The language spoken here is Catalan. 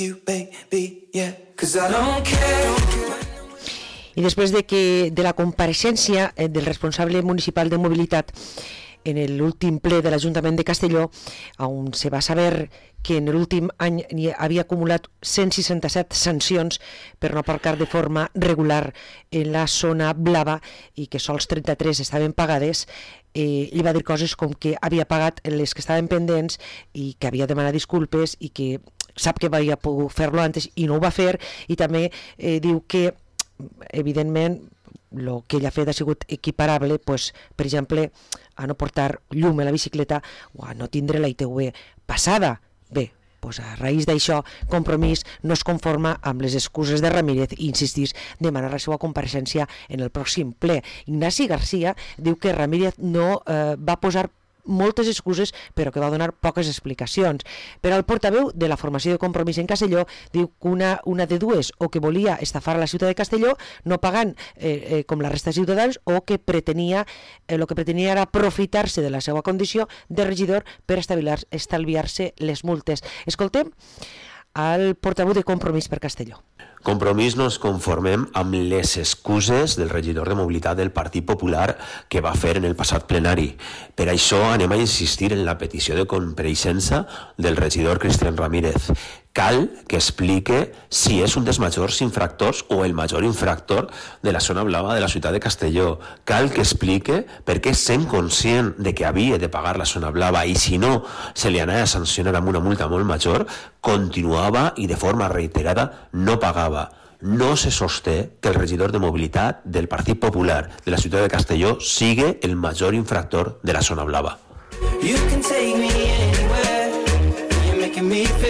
you, baby, yeah, 'cause I don't care. I després de la compareixença del responsable municipal de mobilitat en l'últim ple de l'Ajuntament de Castelló, on se va saber que en l'últim any havia acumulat 167 sancions per no aparcar de forma regular en la zona blava i que sols 33 estaven pagades, li va dir coses com que havia pagat les que estaven pendents i que havia demanat disculpes i que sap que havia pogut fer-lo antes i no ho va fer, i també diu que evidentment el que ell ha fet ha sigut equiparable, pues, per exemple, a no portar llum a la bicicleta o a no tindre la ITV passada. Bé, pues a raïs d'això, Compromís no es conforma amb les excuses de Ramírez i insistís demanar la seva compareixença en el pròxim ple. Ignasi Garcia diu que Ramírez no va posar moltes excuses, però que va donar poques explicacions. Però el portaveu de la formació de Compromís en Castelló diu que una de dues, o que volia estafar a la ciutat de Castelló no pagant com la resta de ciutadans, o que pretenia era aprofitar-se de la seva condició de regidor per estalviar-se les multes. Escoltem al portaveu de Compromís per Castelló. Compromís no ens conformem amb les excuses del regidor de mobilitat del Partit Popular que va fer en el passat plenari. Per això anem a insistir en la petició de compareixença del regidor Cristian Ramírez. Cal que explique si és un dels majors infractors o el major infractor de la zona blava de la ciutat de Castelló. Cal que explique per què, sent conscient de que havia de pagar la zona blava i si no se li anava a sancionar amb una multa molt major, continuava i de forma reiterada no pagava. No se sosté que el regidor de mobilitat del Partit Popular de la ciutat de Castelló sigui el major infractor de la zona blava. You can take me anywhere, you're making me feel